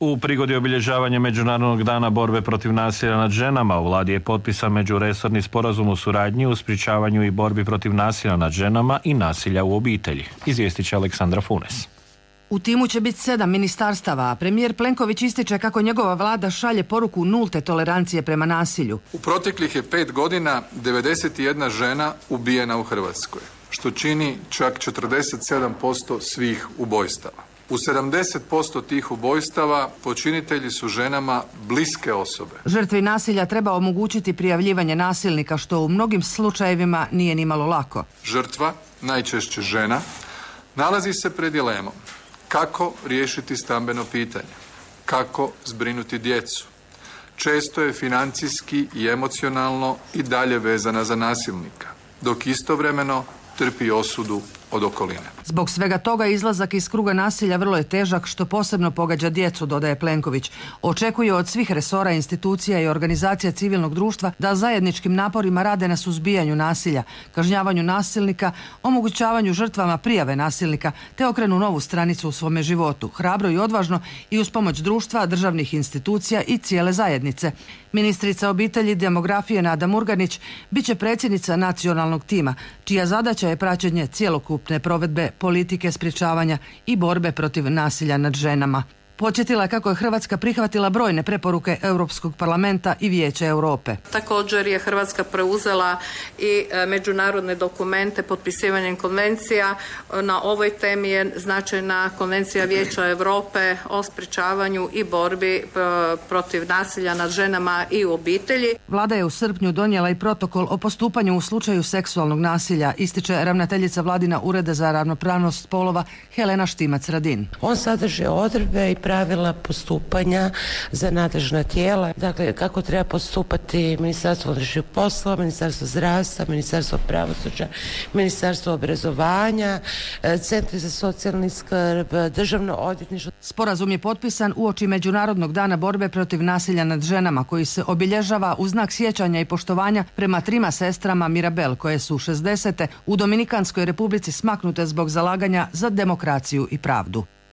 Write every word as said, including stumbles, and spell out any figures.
U prigodi obilježavanja Međunarodnog dana borbe protiv nasilja nad ženama u vladi je potpisan međuresorni sporazum o suradnji u sprječavanju i borbi protiv nasilja nad ženama i nasilja u obitelji. Izvijestit će Aleksandra Funes. U timu će biti sedam ministarstava, a premijer Plenković ističe kako njegova vlada šalje poruku nulte tolerancije prema nasilju. U proteklih je pet godina devedeset jedna žena ubijena u Hrvatskoj, što čini čak četrdeset sedam posto svih ubojstava. U sedamdeset posto tih ubojstava počinitelji su ženama bliske osobe. Žrtvi nasilja treba omogućiti prijavljivanje nasilnika, što u mnogim slučajevima nije nimalo lako. Žrtva, najčešće žena, nalazi se pred dilemom kako riješiti stambeno pitanje, kako zbrinuti djecu. Često je financijski i emocionalno i dalje vezana za nasilnika, dok istovremeno trpi osudu od okoline. Zbog svega toga izlazak iz kruga nasilja vrlo je težak, što posebno pogađa djecu, dodaje Plenković. Očekuje od svih resora, institucija i organizacija civilnog društva da zajedničkim naporima rade na suzbijanju nasilja, kažnjavanju nasilnika, omogućavanju žrtvama prijave nasilnika, te okrenu novu stranicu u svome životu, hrabro i odvažno i uz pomoć društva, državnih institucija i cijele zajednice. Ministrica obitelji i demografije Nada Murganić bit će predsjednica nacionalnog tima, čija zadaća je praćenje cjelokupne provedbe politike sprječavanja i borbe protiv nasilja nad ženama. Podsjetila je kako je Hrvatska prihvatila brojne preporuke Europskog parlamenta i Vijeća Europe. Također je Hrvatska preuzela i međunarodne dokumente potpisivanjem konvencija. Na ovoj temi je značajna Konvencija Vijeća Europe o sprječavanju i borbi protiv nasilja nad ženama i u obitelji. Vlada je u srpnju donijela i protokol o postupanju u slučaju seksualnog nasilja, ističe ravnateljica Vladina Ureda za ravnopravnost spolova Helena Štimac-Radin. On sadrži odredbe i pravila postupanja za nadležna tijela, dakle kako treba postupati Ministarstvo unutarnjih poslova, Ministarstvo zdravstva, Ministarstvo pravosuđa, Ministarstvo obrazovanja, Centri za socijalni skrb, Državno odvjetništvo. Sporazum je potpisan uoči Međunarodnog dana borbe protiv nasilja nad ženama, koji se obilježava u znak sjećanja i poštovanja prema trima sestrama Mirabel, koje su šezdesete u Dominikanskoj Republici smaknute zbog zalaganja za demokraciju i pravdu.